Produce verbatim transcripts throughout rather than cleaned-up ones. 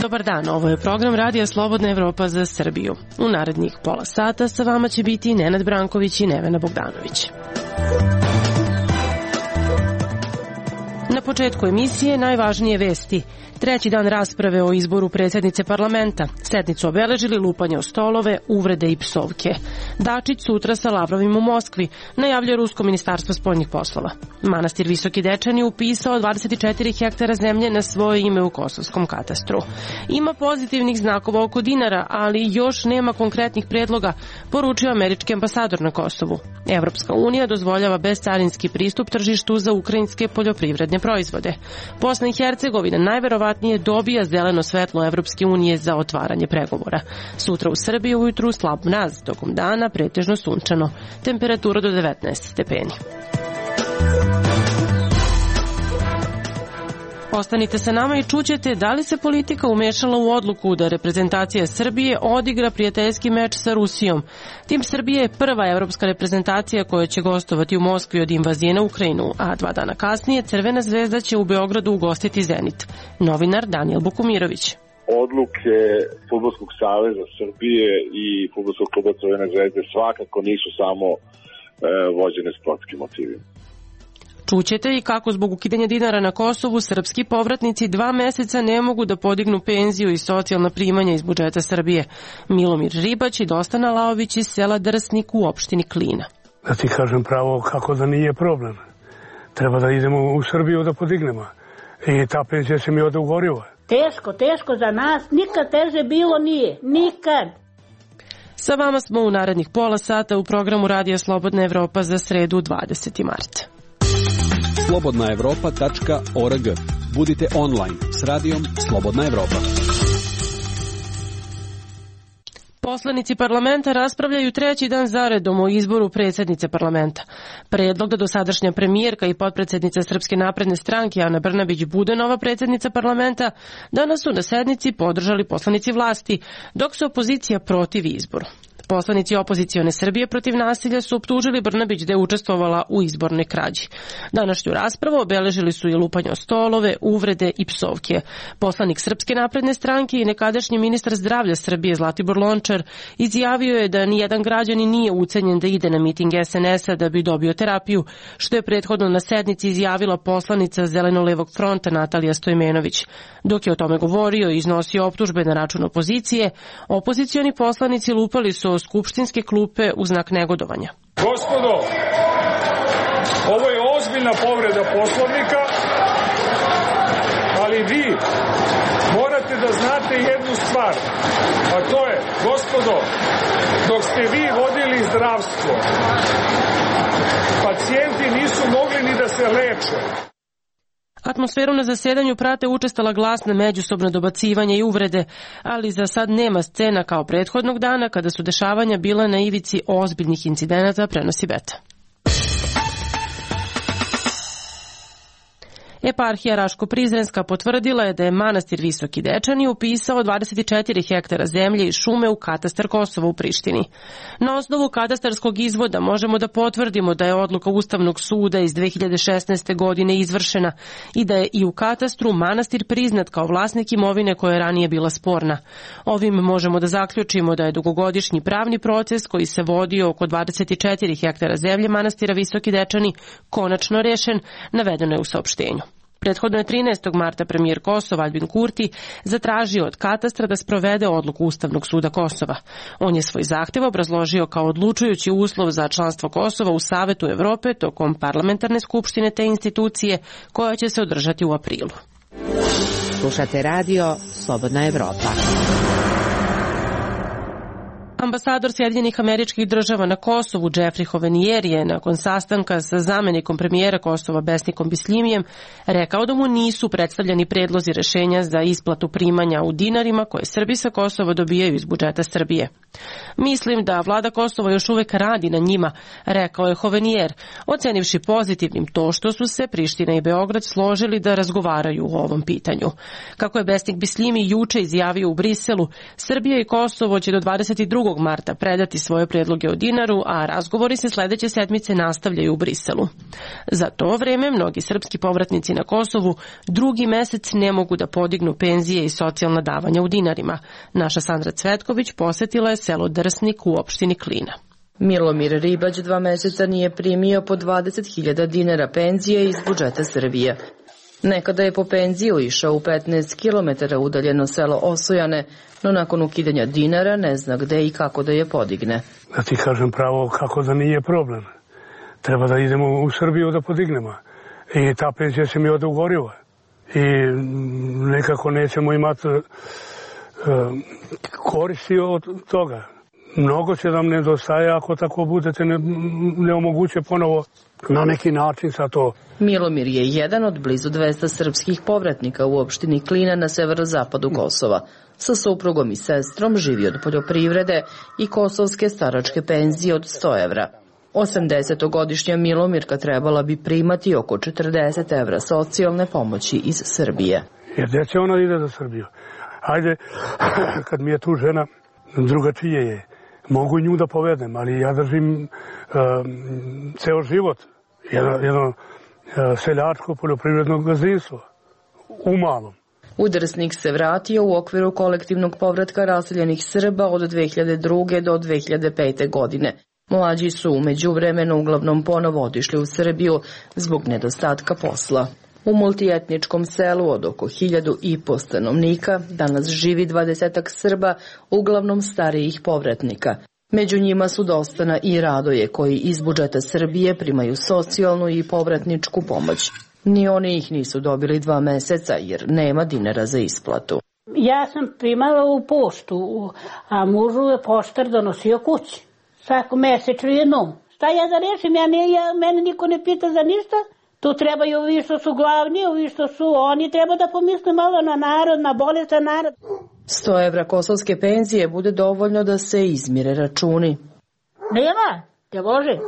Dobar dan, ovo je program Radija Slobodna Evropa za Srbiju. U narednih pola sata sa vama će biti Nenad Branković i Nevena Bogdanović. Na početku emisije najvažnije vesti. Treći dan rasprave o izboru predsjednice parlamenta. Sednicu obeležili lupanje o stolove, uvrede i psovke. Dačić sutra sa Lavrovim u Moskvi, najavljuje Rusko ministarstvo spoljnih poslova. Manastir Visoki Dečani upisao dvadeset četiri hektara zemlje na svoje ime u kosovskom katastru. Ima pozitivnih znakova oko dinara, ali još nema konkretnih predloga, poručio američki ambasador na Kosovu. Evropska unija dozvoljava bezcarinski pristup tržištu za ukrajinske poljoprivredne proizvode. Bosna i Hercegovina najverovatnije dobija zeleno svetlo Evropske unije za otvaranje pregovora. Sutra u Srbiji ujutru slab mraz, tokom dana pretežno sunčano. Temperatura do devetnaest stepeni. Ostanite sa nama i čućete da li se politika umešala u odluku da reprezentacija Srbije odigra prijateljski meč sa Rusijom. Tim Srbije je prva evropska reprezentacija koja će gostovati u Moskvi od invazije na Ukrajinu, a dva dana kasnije Crvena zvezda će u Beogradu ugostiti Zenit. Novinar Danijel Bukumirović. Odluke Fudbalskog saveza Srbije i Fudbalskog kluba Crvene zvezde svakako nisu samo e, vođene sportskim motivima. Čućete i kako zbog ukidanja dinara na Kosovu srpski povratnici dva meseca ne mogu da podignu penziju i socijalna primanja iz budžeta Srbije. Milomir Ribać i Dostana Laović iz sela Drsnik u opštini Klina. Da ti kažem pravo kako da nije problem. Treba da idemo u Srbiju da podignemo. I ta penzija se mi ovde ugorila. Teško, teško za nas. Nikad teže bilo nije. Nikad. Sa vama smo u narednih pola sata u programu Radija Slobodna Evropa za sredu dvadesetog marta. slobodna evropa tačka org. Budite online s radijom Slobodna Evropa. Poslanici parlamenta raspravljaju treći dan zaredom o izboru predsjednice parlamenta. Predlog da dosadašnja premijerka i potpredsjednica Srpske napredne stranke Ana Brnabić bude nova predsjednica parlamenta danas su na sednici podržali poslanici vlasti, dok se opozicija protivi izboru. Poslanici opozicione Srbije protiv nasilja su optužili Brnabić da je učestvovala u izbornoj krađi. Današnju raspravu obeležili su i lupanje o stolove, uvrede i psovke. Poslanik Srpske napredne stranke i nekadašnji ministar zdravlja Srbije Zlatibor Lončar izjavio je da nijedan građanin nije ucenjen da ide na miting es en es a da bi dobio terapiju, što je prethodno na sednici izjavila poslanica Zeleno-levog fronta Natalija Stojmenović. Dok je o tome govorio i iznosio optužbe na račun opozicije, opozicioni poslanici lupali su skupštinske klupe u znak negodovanja. Gospodo, ovo je ozbiljna povreda Poslovnika, ali vi morate da znate jednu stvar, a to je, gospodo, dok ste vi vodili zdravstvo, pacijenti nisu mogli ni da se leče. Atmosferu na zasedanju prate učestala glasna međusobna dobacivanja i uvrede, ali za sad nema scena kao prethodnog dana kada su dešavanja bila na ivici ozbiljnih incidenata, prenosi Beta. Eparhija Raško-Prizrenska potvrdila je da je manastir Visoki Dečani upisao dvadeset četiri hektara zemlje i šume u katastar Kosova u Prištini. Na osnovu katastarskog izvoda možemo da potvrdimo da je odluka Ustavnog suda iz dve hiljade šesnaeste. godine izvršena i da je i u katastru manastir priznat kao vlasnik imovine koja je ranije bila sporna. Ovim možemo da zaključimo da je dugogodišnji pravni proces koji se vodio oko dvadeset četiri hektara zemlje manastira Visoki Dečani konačno rešen, navedeno je u saopštenju. Prethodno je trinaestog marta premijer Kosova Aljbin Kurti zatražio od katastra da sprovede odluku Ustavnog suda Kosova. On je svoj zahtev obrazložio kao odlučujući uslov za članstvo Kosova u Savetu Evrope tokom parlamentarne skupštine te institucije koja će se održati u aprilu. Slušate radio Slobodna Evropa. Ambasador Sjedinjenih Američkih Država na Kosovu Jeffrey Hovenier je nakon sastanka sa zamenikom premijera Kosova Besnikom Bislimijem rekao da mu nisu predstavljeni predlozi rešenja za isplatu primanja u dinarima koje Srbi sa Kosova dobijaju iz budžeta Srbije. Mislim da vlada Kosova još uvek radi na njima, rekao je Hovenier, ocenivši pozitivnim to što su se Priština i Beograd složili da razgovaraju o ovom pitanju. Kako je Besnik Bislimi juče izjavio u Briselu, Srbija i Kosovo će do dvadeset drugog prvog marta predati svoje predloge o dinaru, a razgovori se sledeće sedmice nastavljaju u Briselu. Za to vreme mnogi srpski povratnici na Kosovu drugi mesec ne mogu da podignu penzije i socijalna davanja u dinarima. Naša Sandra Cvetković posetila je selo Drsnik u opštini Klina. Milomir Ribać dva meseca nije primio po dvadeset hiljada dinara penzije iz budžeta Srbije. Nekada je po penziju išao u petnaest kilometara udaljeno selo Osojane, no nakon ukidanja dinara ne zna gde i kako da je podigne. Da ti kažem pravo kako da nije problem. Treba da idemo u Srbiju da podignemo. I ta penzija se mi ode u gorivo. I nekako nećemo imati uh, koristi od toga. Mnogo će nam nedostaje ako tako budete ne, ne omoguće ponovo na neki način sa to. Milomir je jedan od blizu dvesta srpskih povratnika u opštini Klina na severozapadu Kosova. Sa suprugom i sestrom živi od poljoprivrede i kosovske staračke penzije od sto evra. osamdesetogodišnja Milomirka trebala bi primati oko četrdeset evra socijalne pomoći iz Srbije. Jer gde će ona ide za Srbiju? Ajde, kad mi je tu žena, drugačije je. Mogu nju da povedem, ali ja držim uh, ceo život. Jedno, jedno uh, seljačko poljoprivredno gazdinstvo. U malom. U Drsnik se vratio u okviru kolektivnog povratka raseljenih Srba od dve hiljade druge do dve hiljade pete. godine. Mlađi su u međuvremenu uglavnom ponovo otišli u Srbiju zbog nedostatka posla. U multietničkom selu od oko hiljadu i po stanovnika danas živi dvadesetak Srba, uglavnom starijih povratnika. Među njima su Dostana i Radoje, koji iz budžeta Srbije primaju socijalnu i povratničku pomoć. Ni oni ih nisu dobili dva meseca jer nema dinara za isplatu. Ja sam primala u poštu, a mužu je poštar donosio kući. Svako mesečno jednom. Šta ja da rešim? Ja, ne, ja, mene niko ne pita za ništa. Tu trebaju ovi što su glavni, ovi što su oni. Treba da pomisle malo na narod, na bolestan narod. sto evra kosovske penzije bude dovoljno da se izmire računi. Nema, te Bože.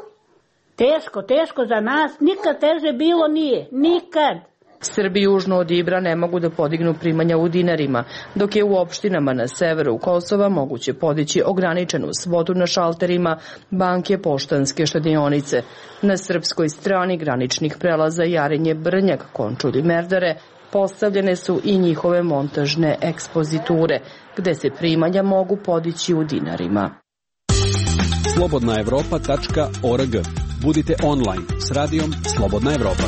Teško, teško za nas. Nikad teže bilo nije. Nikad. Srbi južno od Ibra ne mogu da podignu primanja u dinarima, dok je u opštinama na severu Kosova moguće podići ograničenu svotu na šalterima banke Poštanske štedionice. Na srpskoj strani graničnih prelaza Jarinje, Brnjak, Končulj i Merdare postavljene su i njihove montažne ekspoziture, gde se primanja mogu podići u dinarima. slobodna evropa tačka org. Budite online s radijom Slobodna Evropa.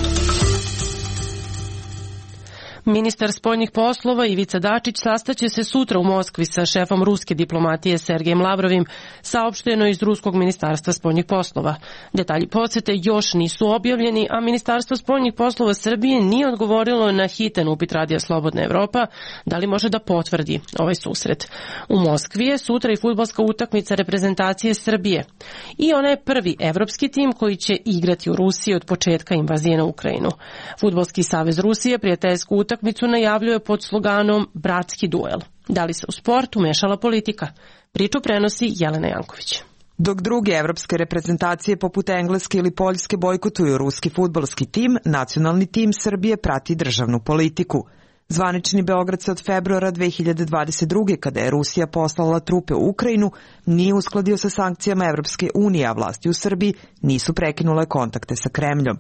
Ministar spoljnih poslova Ivica Dačić sastaće se sutra u Moskvi sa šefom ruske diplomatije Sergejem Lavrovim, saopšteno iz Ruskog ministarstva spoljnih poslova. Detalji posete još nisu objavljeni, a Ministarstvo spoljnih poslova Srbije nije odgovorilo na hitan upit Radija Slobodna Evropa da li može da potvrdi ovaj susret. U Moskvi je sutra i fudbalska utakmica reprezentacije Srbije. I ona je prvi evropski tim koji će igrati u Rusiji od početka invazije na Ukrajinu. Fudbalski savez Rusije prijateljsku utakmicu najavljuje pod sloganom Bratski duel. Da li se u sport umešala politika? Priču prenosi Jelena Janković. Dok druge evropske reprezentacije poput Engleske ili Poljske bojkotuju ruski fudbalski tim, nacionalni tim Srbije prati državnu politiku. Zvanični Beograd se od februara dve hiljade dvadeset druge. kada je Rusija poslala trupe u Ukrajinu, nije uskladio sa sankcijama Evropske unije, a vlasti u Srbiji nisu prekinule kontakte sa Kremljom.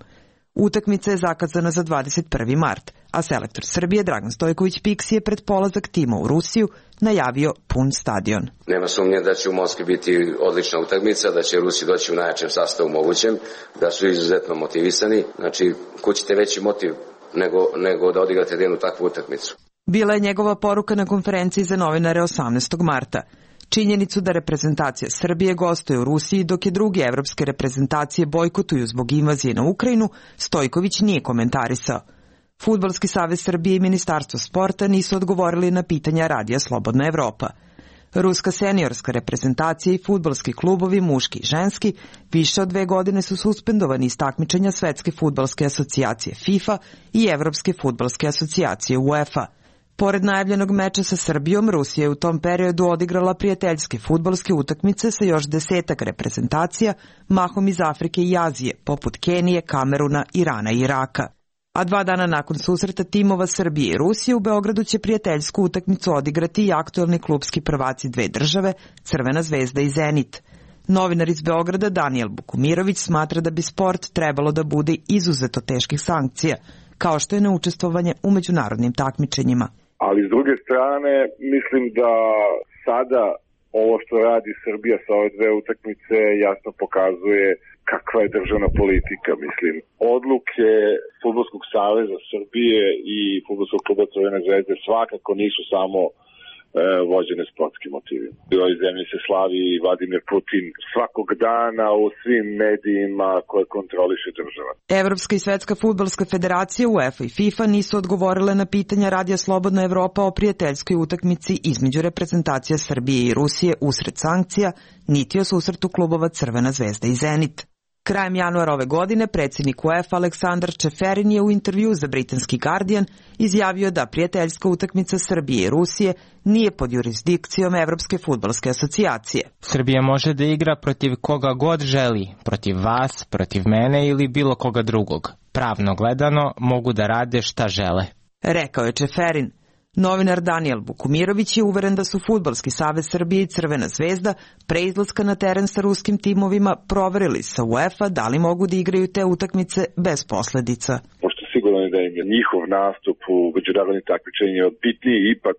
Utakmica je zakazana za dvadeset prvi mart, a selektor Srbije Dragan Stojković Piksi je pred polazak tima u Rusiju najavio pun stadion. Nema sumnje da će u Moskvi biti odlična utakmica, da će Rusi doći u najjačem sastavu mogućem, da su izuzetno motivisani. Znači, ko ćete veći motiv nego, nego da odigrate jednu takvu utakmicu? Bila je njegova poruka na konferenciji za novinare osamnaestog marta. Činjenicu da reprezentacija Srbije gostuje u Rusiji dok je druge evropske reprezentacije bojkotuju zbog invazije na Ukrajinu, Stojković nije komentarisao. Fudbalski savez Srbije i Ministarstvo sporta nisu odgovorili na pitanja Radija Slobodna Evropa. Ruska seniorska reprezentacija i fudbalski klubovi, muški i ženski, više od dve godine su suspendovani iz takmičenja Svetske fudbalske asocijacije FIFA i Evropske fudbalske asocijacije UEFA. Pored najavljenog meča sa Srbijom, Rusija je u tom periodu odigrala prijateljske fudbalske utakmice sa još desetak reprezentacija, mahom iz Afrike i Azije, poput Kenije, Kameruna, Irana i Iraka. A dva dana nakon susreta timova Srbije i Rusije u Beogradu će prijateljsku utakmicu odigrati i aktuelni klubski prvaci dve države, Crvena zvezda i Zenit. Novinar iz Beograda Danijel Bukumirović smatra da bi sport trebalo da bude izuzeto teških sankcija, kao što je neučestvovanje u međunarodnim takmičenjima. Ali s druge strane, mislim da sada ovo što radi Srbija sa ove dve utakmice jasno pokazuje kakva je državna politika. Mislim, odluke Fudbalskog saveza Srbije i Fudbalskog kluba Crvene zvezde svakako nisu samo vođene sportskim motivima. U ovoj zemlji se slavi Vladimir Putin svakog dana u svim medijima koje kontroliše država. Evropska i Svetska fudbalska federacija, UEFA i FIFA nisu odgovorile na pitanja Radija Slobodna Evropa o prijateljskoj utakmici između reprezentacija Srbije i Rusije usred sankcija, niti o susretu klubova Crvena zvezda i Zenit. Krajem januara ove godine predsjednik UEFA Aleksandar Čeferin je u intervju za britanski Guardian izjavio da prijateljska utakmica Srbije i Rusije nije pod jurisdikcijom Evropske fudbalske asocijacije. Srbija može da igra protiv koga god želi, protiv vas, protiv mene ili bilo koga drugog. Pravno gledano mogu da rade šta žele. Rekao je Čeferin. Novinar Danijel Bukumirović je uveren da su Fudbalski savez Srbije i Crvena zvezda pre izlaska na teren sa ruskim timovima proverili sa UEFA da li mogu da igraju te utakmice bez posledica. Pošto sigurno je da im je njihov nastup u međunarodnim takmičenjima bitniji ipak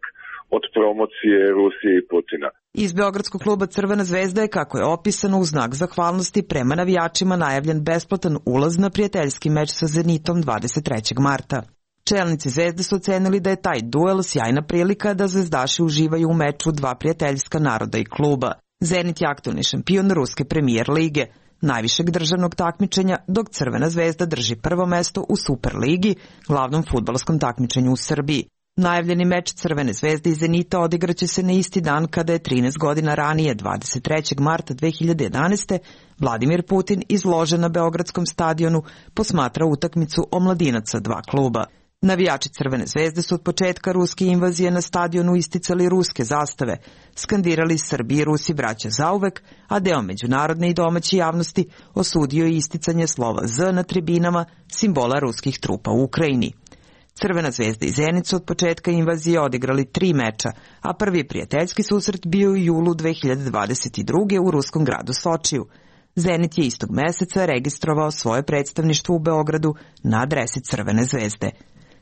od promocije Rusije i Putina. Iz Beogradskog kluba Crvena zvezda je, kako je opisano, u znak zahvalnosti prema navijačima najavljen besplatan ulaz na prijateljski meč sa Zenitom dvadeset trećeg marta. Čelnici Zvezde su ocenili da je taj duel sjajna prilika da zvezdaši uživaju u meču dva prijateljska naroda i kluba. Zenit je aktuelni šampion Ruske premijer lige, najvišeg državnog takmičenja, dok Crvena zvezda drži prvo mesto u Superligi, glavnom fudbalskom takmičenju u Srbiji. Najavljeni meč Crvene zvezde i Zenita odigraće se na isti dan kada je trinaest godina ranije, dvadeset trećeg marta dve hiljade jedanaeste. Vladimir Putin izložen na Beogradskom stadionu posmatra utakmicu omladinaca dva kluba. Navijači Crvene zvezde su od početka ruske invazije na stadionu isticali ruske zastave, skandirali Srbi i Rusi braća zauvek, a deo međunarodne i domaće javnosti osudio je isticanje slova Z na tribinama, simbola ruskih trupa u Ukrajini. Crvena zvezda i Zenit su od početka invazije odigrali tri meča, a prvi prijateljski susret bio u julu dve hiljade dvadeset druge. u ruskom gradu Sočiju. Zenit je istog meseca registrovao svoje predstavništvo u Beogradu na adresi Crvene zvezde.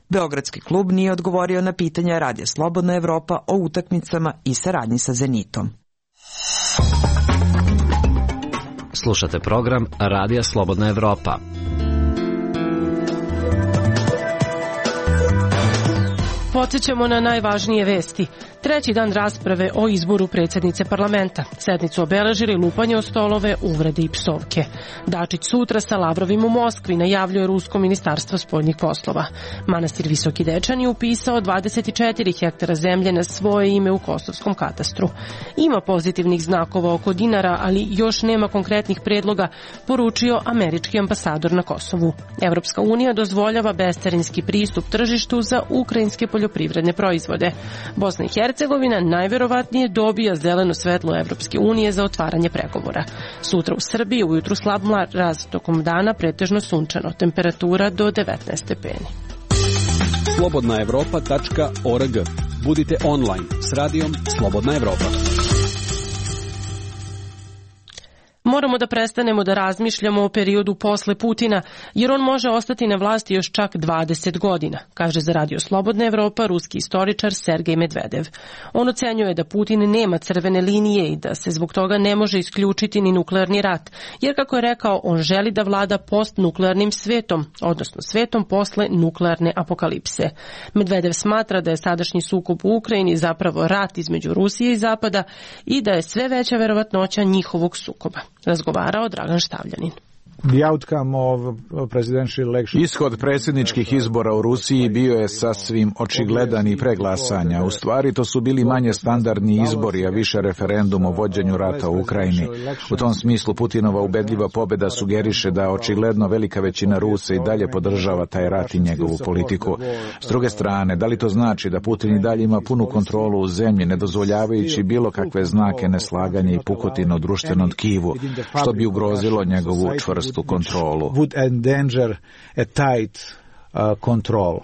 Beogradski klub nije odgovorio na pitanja Radija Slobodna Evropa o utakmicama i saradnji sa Zenitom. Slušate program Radija Slobodna Evropa. Podsjećamo na najvažnije vesti. Treći dan rasprave o izboru predsjednice parlamenta. Sednicu obeležili lupanje o stolove, uvrede i psovke. Dačić sutra sa Lavrovim u Moskvi, najavljuje Rusko ministarstvo spoljnih poslova. Manastir Visoki Dečan je upisao dvadeset četiri hektara zemlje na svoje ime u kosovskom katastru. Ima pozitivnih znakova oko dinara, ali još nema konkretnih predloga, poručio američki ambasador na Kosovu. Evropska unija dozvoljava bescarinski pristup tržištu za ukrajinske poljoprivredne proizvode. Bosna i Hercegovina najverovatnije dobija zeleno svetlo Evropske unije za otvaranje pregovora. Sutra u Srbiji ujutru slab mraz, tokom dana pretežno sunčano, temperatura do devetnaest stepeni. slobodna evropa tačka org. Budite online s radijom Slobodna Evropa. Moramo da prestanemo da razmišljamo o periodu posle Putina, jer on može ostati na vlasti još čak dvadeset godina, kaže za Radio Slobodna Evropa ruski istoričar Sergej Medvedev. On ocenjuje da Putin nema crvene linije i da se zbog toga ne može isključiti ni nuklearni rat, jer, kako je rekao, on želi da vlada postnuklearnim svetom, odnosno svetom posle nuklearne apokalipse. Medvedev smatra da je sadašnji sukob u Ukrajini zapravo rat između Rusije i Zapada i da je sve veća verovatnoća njihovog sukoba. Razgovarao Dragan Štavljanin. Ishod predsjedničkih izbora u Rusiji bio je sasvim očigledan i preglasanja. U stvari to su bili manje standardni izbori, a više referendum o vođenju rata u Ukrajini. U tom smislu Putinova ubedljiva pobjeda sugeriše da očigledno velika većina Rusa i dalje podržava taj rat i njegovu politiku. S druge strane, da li to znači da Putin i dalje ima punu kontrolu u zemlji, ne dozvoljavajući bilo kakve znake neslaganja i pukotine u društvenom tkivu, što bi ugrozilo njegovu čvrstu kontrolu. Would endanger a tight kontrolu.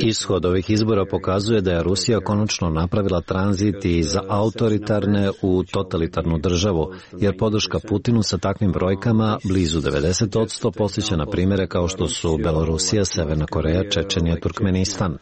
Ishod ovih izbora pokazuje da je Rusija konačno napravila tranzit iz autoritarne u totalitarnu državu, jer podrška Putinu sa takvim brojkama blizu devedeset posto posjeća na primjere kao što su Belorusija, Severna Koreja, Čečenija, Turkmenistan.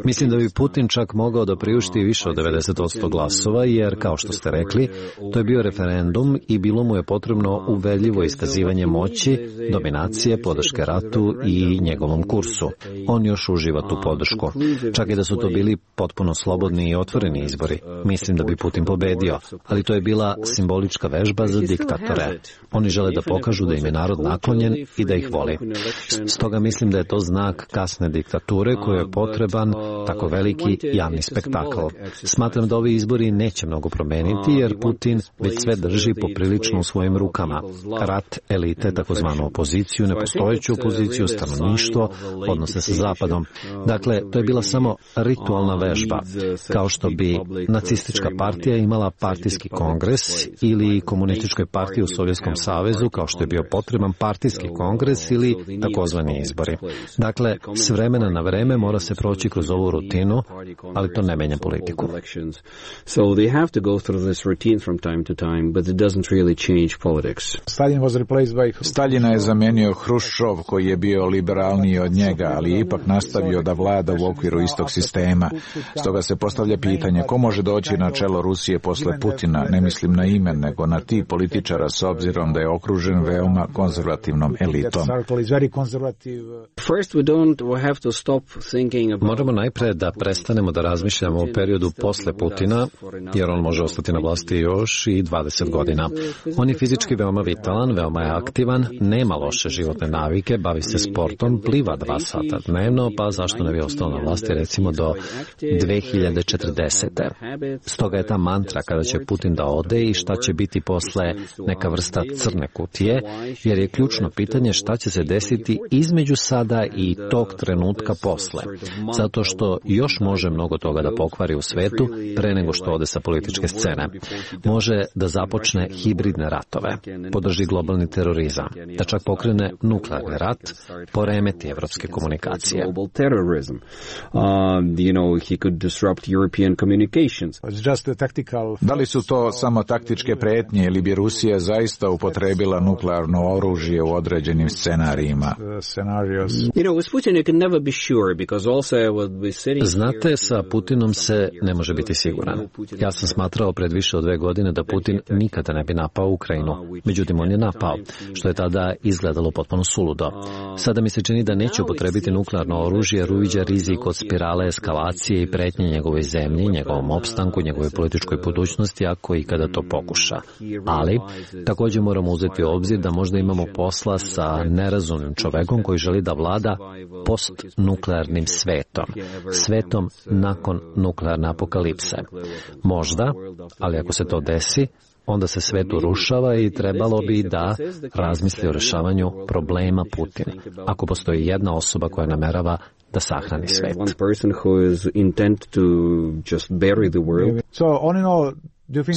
Mislim da bi Putin čak mogao da priušti više od devedeset posto glasova, jer, kao što ste rekli, to je bio referendum i bilo mu je potrebno uverljivo iskazivanje moći, dominacije, podrške ratu i njegovom kursu. On još uživa tu podršku. Čak i da su to bili potpuno slobodni i otvoreni izbori, mislim da bi Putin pobedio, ali to je bila simbolička vežba za diktatore. Oni žele da pokažu da im je narod naklonjen i da ih voli. Stoga mislim da je to znak kasne diktature kojoj je potreban tako veliki javni spektakl. Smatram da ovi izbori neće mnogo promeniti, jer Putin već sve drži poprilično u svojim rukama. Rat, elite, takozvanu opoziciju, nepostojeću opoziciju, stanovništvo, odnose sa Zapadom. Dakle, to je bila samo ritualna vežba, kao što bi nacistička partija imala partijski kongres ili komunističkoj partiji u Sovjetskom savezu, kao što je bio potreban partijski kongres ili takozvani izbori. Dakle, s vremena na vreme mora se proći kroz ovu rutinu, ali to ne menja politiku. Staljina je zamenio Hruščov, koji je bio liberalniji od njega, ali je ipak nastavio da vlada u okviru istog sistema. Stoga se postavlja pitanje ko može doći na čelo Rusije posle Putina, ne mislim na ime, nego na ti političara s obzirom da je okružen veoma konzervativnom elitom. Moramo najpre da prestanemo da razmišljamo o periodu posle Putina, jer on može ostati na vlasti još i dvadeset godina. On je fizički veoma vitalan, veoma je aktivan, nema loše životne navike, bavi se sportom, pliva dva sata dnevno, pa zašto ne bi ostao na vlasti recimo do dve hiljade četrdesete. Stoga je ta mantra kada će Putin da ode i šta će biti posle neka vrsta crne kutije, jer je ključno pitanje šta će se desiti između sada i tog trenutka posle. Zato što još može mnogo toga da pokvari u svetu pre nego što ode sa političke scene. Može da započne hibridne ratove, podrži globalni terorizam, da čak pokrene nuklearni rat, poremeti evropske komunikacije. Da li su to samo taktičke pretnje ili bi Rusija zaista upotrebila nuklearno oružje u određenim scenarijima? Znate, sa Putinom se ne može biti siguran. Ja sam smatrao pred više od dve godine da Putin nikada ne bi napao Ukrajinu. Međutim, on je napao, što je tada izgledalo potpuno suludo. Sada mi se čini da neće upotrebiti nuklearno oružje jer uviđa rizik od spirale eskalacije i pretnje njegovoj zemlji, njegovom opstanku, njegovoj političkoj budućnosti, ako i kada to pokuša. Ali, također moramo uzeti u obzir da možda imamo posla sa nerazumnim čovekom koji želi da vlada postnuklearnim svetom. Svetom nakon nuklearne apokalipse. Možda, ali ako se to desi, onda se svet urušava i trebalo bi da razmisli o rešavanju problema Putin. Ako postoji jedna osoba koja namerava da sahrani svet.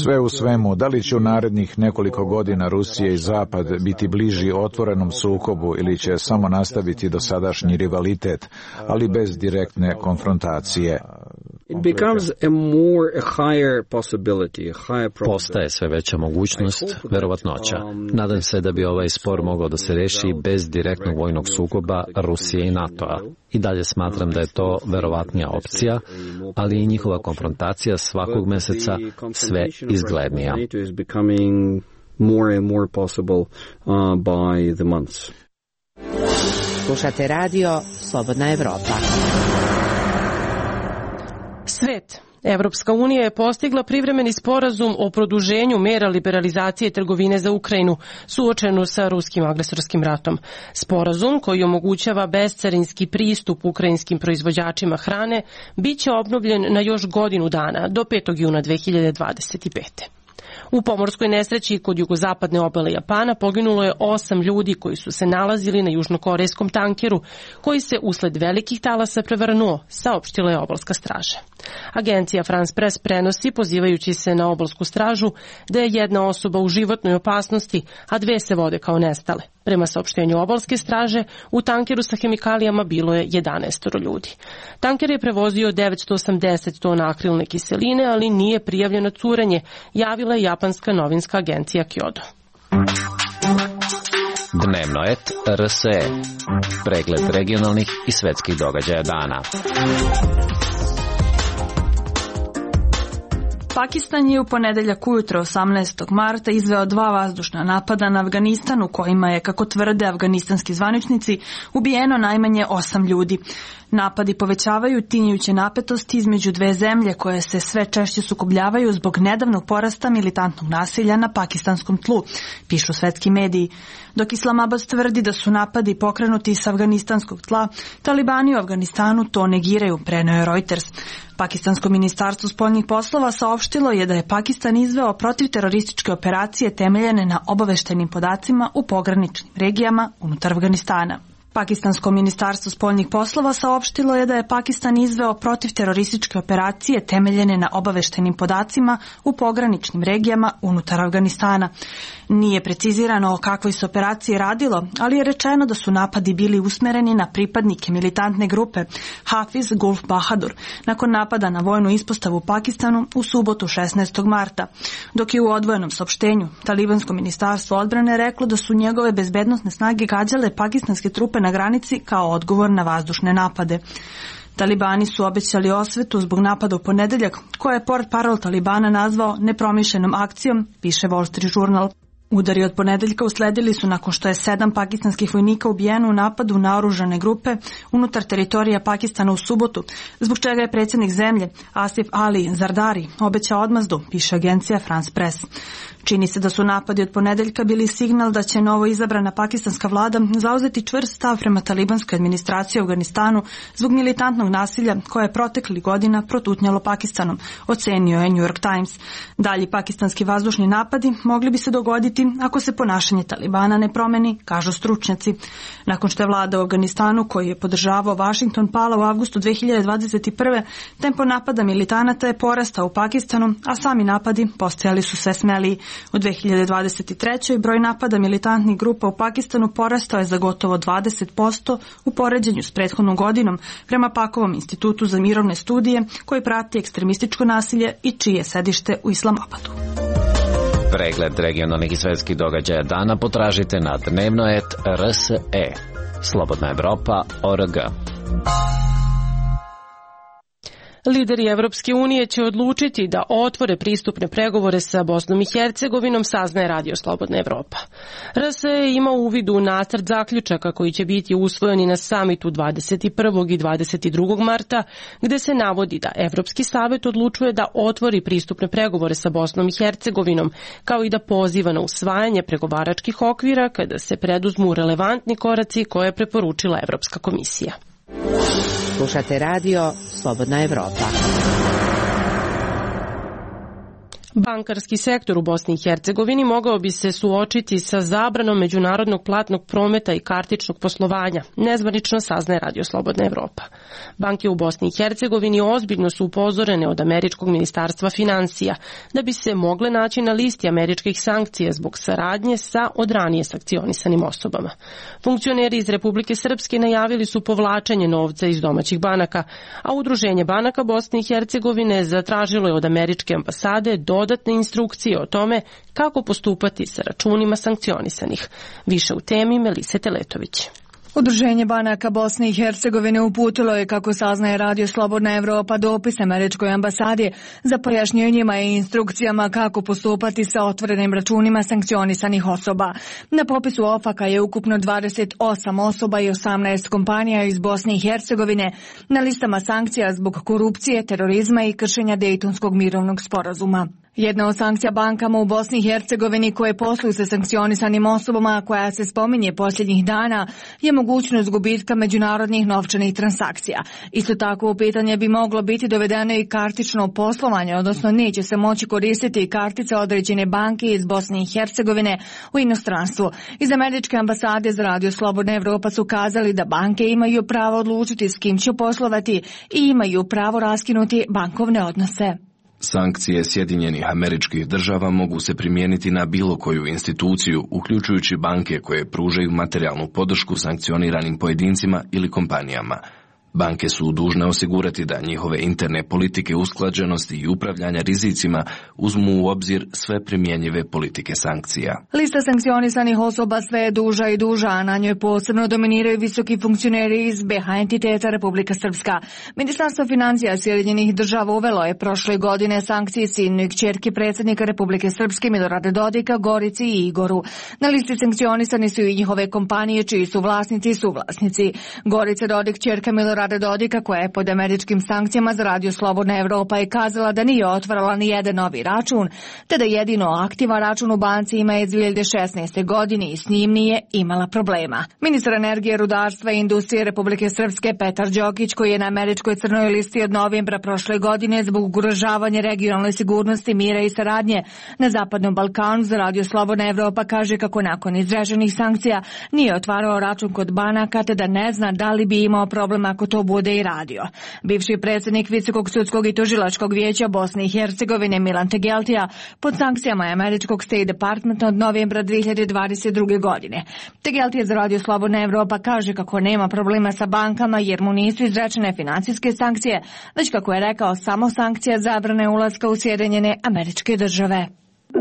Sve u svemu, da li će u narednih nekoliko godina Rusija i Zapad biti bliži otvorenom sukobu ili će samo nastaviti dosadašnji rivalitet, ali bez direktne konfrontacije? Postaje sve veća mogućnost, verovatnoća. Nadam se da bi ovaj spor mogao da se reši bez direktnog vojnog sukoba Rusije i NATO-a. I dalje smatram da je to verovatnija opcija, ali i njihova konfrontacija svakog meseca sve izglednija. Slušate radio Slobodna Evropa. Svet. Evropska unija je postigla privremeni sporazum o produženju mera liberalizacije trgovine za Ukrajinu, suočenu sa ruskim agresorskim ratom. Sporazum, koji omogućava bescarinski pristup ukrajinskim proizvođačima hrane, bit će obnovljen na još godinu dana, do petog juna dve hiljade dvadeset pete. U pomorskoj nesreći kod jugozapadne obale Japana poginulo je osam ljudi koji su se nalazili na južnokorejskom tankeru, koji se usled velikih talasa prevrnuo, saopštila je obalska straža. Agencija France Press prenosi, pozivajući se na obalsku stražu, da je jedna osoba u životnoj opasnosti, a dve se vode kao nestale. Prema saopštenju obalske straže, u tankeru sa hemikalijama bilo je jedanaest ljudi. Tanker je prevozio devetsto osamdeset tona akrilne kiseline, ali nije prijavljeno curenje, javila je japanska novinska agencija Kyodo. Dnevno et R S E. Pregled regionalnih i svetskih događaja dana. Pakistan je u ponedeljak ujutro osamnaestog marta izveo dva vazdušna napada na Afganistan u kojima je, kako tvrde afganistanski zvaničnici, ubijeno najmanje osam ljudi. Napadi povećavaju tinjuće napetosti između dve zemlje koje se sve češće sukobljavaju zbog nedavnog porasta militantnog nasilja na pakistanskom tlu, pišu svetski mediji. Dok Islamabad tvrdi da su napadi pokrenuti s afganistanskog tla, talibani u Afganistanu to negiraju, preneo je Reuters. Pakistansko ministarstvo spoljnih poslova saopštilo je da je Pakistan izveo protivterorističke operacije temeljene na obaveštajnim podacima u pograničnim regijama unutar Afganistana. Pakistansko ministarstvo spoljnih poslova saopštilo je da je Pakistan izveo protivterorističke operacije temeljene na obaveštajnim podacima u pograničnim regijama unutar Afganistana. Nije precizirano o kakvoj se operaciji radilo, ali je rečeno da su napadi bili usmereni na pripadnike militantne grupe Hafiz Gulf Bahadur nakon napada na vojnu ispostavu u Pakistanu u subotu šesnaestog marta, dok je u odvojenom saopštenju talibansko ministarstvo odbrane reklo da su njegove bezbednosne snage gađale pakistanske trupe na granici kao odgovor na vazdušne napade. Talibani su obećali osvetu zbog napada u ponedeljak, koje je portparol Talibana nazvao nepromišljenom akcijom, piše Wall Street Journal. Udari od ponedeljka usledili su nakon što je sedam pakistanskih vojnika ubijeno u napadu na oružane grupe unutar teritorija Pakistana u subotu, zbog čega je predsjednik zemlje Asif Ali Zardari obećao odmazdu, piše agencija France Press. Čini se da su napadi od ponedeljka bili signal da će novo izabrana pakistanska vlada zauzeti čvrst stav prema talibanskoj administraciji u Afganistanu zbog militantnog nasilja koje je proteklih godina protutnjalo Pakistanom, ocenio je New York Times. Dalji pakistanski vazdušni napadi mogli bi se dogoditi ako se ponašanje Talibana ne promeni, kažu stručnjaci. Nakon što je vlada u Afganistanu, koji je podržavao Washington, pala u avgustu dve hiljade dvadeset prve, tempo napada militanata je porastao u Pakistanu, a sami napadi postajali su sve smeliji. U dve hiljade dvadeset trećoj broj napada militantnih grupa u Pakistanu porastao je za gotovo dvadeset posto u poređenju s prethodnom godinom, prema Pakovom institutu za mirovne studije koji prati ekstremističko nasilje i čije je sedište u Islamabadu. Pregled regionalnih i svetskih događaja dana potražite na dnevno et R S E. Slobodna Evropa, O R G. Lideri Evropske unije će odlučiti da otvore pristupne pregovore sa Bosnom i Hercegovinom, saznaje Radio Slobodna Evropa. R S E ima uvid u nacrt zaključaka koji će biti usvojeni na samitu dvadeset prvog i dvadeset drugog marta, gde se navodi da Evropski savet odlučuje da otvori pristupne pregovore sa Bosnom i Hercegovinom, kao i da poziva na usvajanje pregovaračkih okvira kada se preduzmu relevantni koraci koje je preporučila Evropska komisija. Slušate radio Slobodna Evropa. Bankarski sektor u Bosni i Hercegovini mogao bi se suočiti sa zabranom međunarodnog platnog prometa i kartičnog poslovanja, nezvanično saznaje Radio Slobodna Evropa. Banke u Bosni i Hercegovini ozbiljno su upozorene od američkog ministarstva financija da bi se mogle naći na listi američkih sankcija zbog saradnje sa od ranije sankcionisanim osobama. Funkcioneri iz Republike Srpske najavili su povlačenje novca iz domaćih banaka, a Udruženje banaka Bosne i Hercegovine zatražilo je od američke ambasade do dodatne instrukcije o tome kako postupati sa računima sankcionisanih. Više u temi Melise Teletović. Udruženje banaka Bosne i Hercegovine uputilo je, kako saznaje Radio Slobodna Evropa, dopis američkoj ambasadi za pojašnjenjima i instrukcijama kako postupati sa otvorenim računima sankcionisanih osoba. Na popisu ofaka je ukupno dvadeset osam osoba i osamnaest kompanija iz Bosne i Hercegovine na listama sankcija zbog korupcije, terorizma i kršenja Dejtonskog mirovnog sporazuma. Jedna od sankcija bankama u Bosni i Hercegovini koje posluju sa sankcionisanim osobama koja se spominje posljednjih dana je mogućnost gubitka međunarodnih novčanih transakcija. Isto tako u pitanje bi moglo biti dovedeno i kartično poslovanje, odnosno neće se moći koristiti kartice određene banke iz Bosne i Hercegovine u inostranstvu. Iz američke ambasade za Radio Slobodna Evropa su kazali da banke imaju pravo odlučiti s kim će poslovati i imaju pravo raskinuti bankovne odnose. Sankcije Sjedinjenih Američkih Država mogu se primijeniti na bilo koju instituciju, uključujući banke koje pružaju materijalnu podršku sankcioniranim pojedincima ili kompanijama. Banke su dužne osigurati da njihove interne politike usklađenosti i upravljanja rizicima uzmu u obzir sve primjenjive politike sankcija. Lista sankcionisanih osoba sve je duža i duža, a na njoj posebno dominiraju visoki funkcioneri iz B H entiteta Republika Srpska. Ministarstvo financija Sjedinjenih Država uvelo je prošle godine sankcije sinoj kćerki predsjednika Republike Srpske Milorada Dodika, Gorici i Igoru. Na listi sankcionisani su i njihove kompanije čiji su vlasnici i suvlasnici. Gorica Dodik, kćerka Milorada Rade Dodika, koja je pod američkim sankcijama za Radio Slobodna Evropa, je kazala da nije otvarala ni jedan novi račun, te da jedino aktivan račun u banci ima iz dvije hiljade šesnaeste. godine i s njim nije imala problema. Ministar energije, rudarstva i industrije Republike Srpske Petar Đokić, koji je na američkoj crnoj listi od novembra prošle godine zbog ugrožavanja regionalne sigurnosti, mira i saradnje na Zapadnom Balkanu za Radio Slobodna Evropa, kaže kako nakon izraženih sankcija nije otvarao račun kod banaka, te da ne zna da li bi imao problem ako to bude i radio. Bivši predsjednik Visokog sudskog i tužilačkog vijeća Bosne i Hercegovine Milan Tegeltija pod sankcijama je američkog State Departmenta od novembra dvije hiljade dvadeset druge. godine. Tegeltija za Radio Slobodna Evropa kaže kako nema problema sa bankama jer mu nisu izrečene financijske sankcije, već kako je rekao samo sankcija zabrane ulaska u Sjedinjene Američke Države.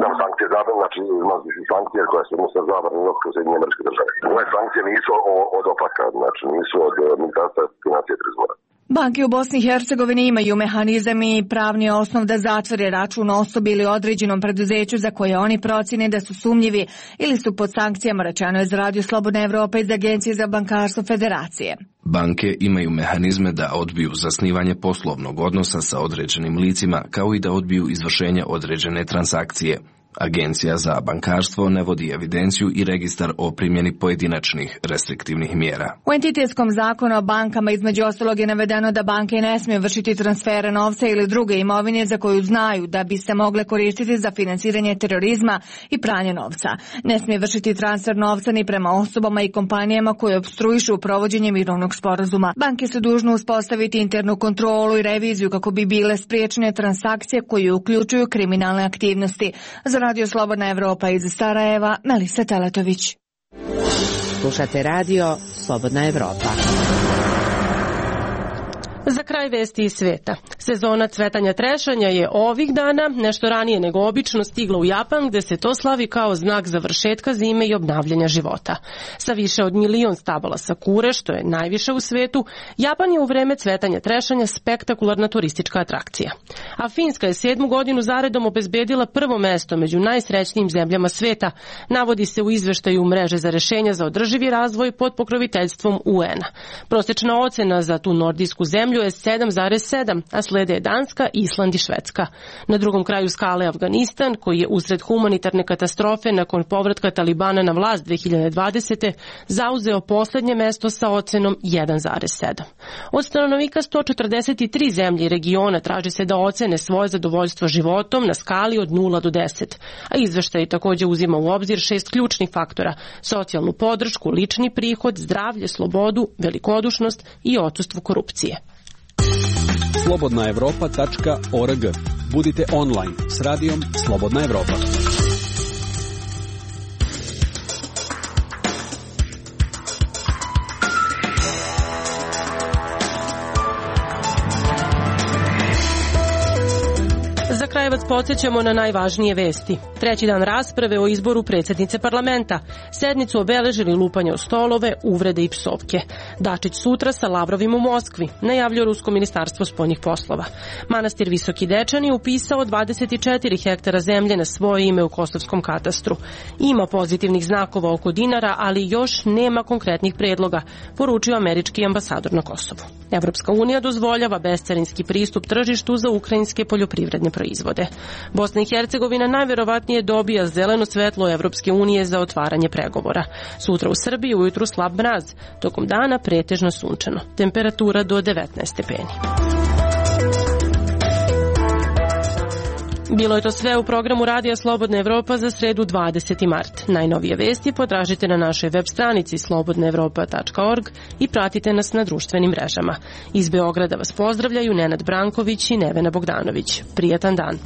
Nam sankcije zabrane, znači imamo sankcije koje se odnose zabrane ulaska u Sjedinjene Američke Države. Ove sankcije nisu od opaka, znači nisu od Ministarstva financija i trezora. Banke u Bosni i Hercegovini imaju mehanizam i pravni osnov da zatvore račun osobi ili određenom preduzeću za koje oni procjene da su sumnjivi ili su pod sankcijama, rečeno je za Radio Slobodna Evropa iz Agencije za bankarstvo Federacije. Banke imaju mehanizme da odbiju zasnivanje poslovnog odnosa sa određenim licima, kao i da odbiju izvršenje određene transakcije. Agencija za bankarstvo ne vodi evidenciju i registar o primjeni pojedinačnih restriktivnih mjera. U entitetskom zakonu o bankama između ostalog je navedeno da banke ne smiju vršiti transfere novca ili druge imovine za koju znaju da bi se mogle koristiti za financiranje terorizma i pranje novca. Ne smije vršiti transfer novca ni prema osobama i kompanijama koje opstruišu provođenje mirovnog sporazuma. Banke su dužne uspostaviti internu kontrolu i reviziju kako bi bile spriječene transakcije koje uključuju kriminalne aktivnosti. Za Radio Slobodna Evropa iz Sarajeva, Melisa Teletović. Slušate Radio Slobodna Evropa. Za kraj vesti iz sveta. Sezona cvetanja trešanja je ovih dana, nešto ranije nego obično, stigla u Japan, gde se to slavi kao znak završetka zime i obnavljanja života. Sa više od milion stabala sakure, što je najviše u svetu, Japan je u vreme cvetanja trešanja spektakularna turistička atrakcija. A Finska je sedmu godinu zaredom obezbedila prvo mesto među najsrećnijim zemljama sveta, navodi se u izveštaju mreže za rešenja za održivi razvoj pod pokroviteljstvom U N-a. Prosječna ocena za tu nordijsku zemlju je sedam zarez sedam, a slede je Danska, Island i Švedska. Na drugom kraju skale Afganistan, koji je usred humanitarne katastrofe nakon povratka Talibana na vlast dve hiljade dvadesete. zauzeo poslednje mesto sa ocenom jedan zarez sedam. Od stanovnika sto četrdeset tri zemlje i regiona traži se da ocene svoje zadovoljstvo životom na skali od nula do deset, a izveštaj takođe uzima u obzir šest ključnih faktora: socijalnu podršku, lični prihod, zdravlje, slobodu, velikodušnost i odsustvo korupcije. slobodna evropa tačka org. Budite online s radijom Slobodna Evropa. Za kraj vas podsjećamo na najvažnije vesti. Treći dan rasprave o izboru predsjednice parlamenta. Sednicu obeležili lupanje o stolove, uvrede i psovke. Dačić sutra sa Lavrovim u Moskvi, najavljuje Rusko ministarstvo spoljnih poslova. Manastir Visoki Dečani upisao dvadeset četiri hektara zemlje na svoje ime u Kosovskom katastru. Ima pozitivnih znakova oko dinara, ali još nema konkretnih predloga, poručio američki ambasador na Kosovu. Evropska unija dozvoljava bescarinski pristup tržištu za ukrajinske poljoprivredne proizvode. proizvode. Bosna i Hercegovina najverovatnije dobija zeleno svetlo Evropske unije za otvaranje pregovora. Sutra u Srbiji ujutru slab mraz, tokom dana pretežno sunčano. Temperatura do devetnaest stepeni. Bilo je to sve u programu Radija Slobodna Evropa za sredu dvadeseti mart. Najnovije vesti potražite na našoj web stranici slobodna evropa tačka org i pratite nas na društvenim mrežama. Iz Beograda vas pozdravljaju Nenad Branković i Nevena Bogdanović. Prijatan dan.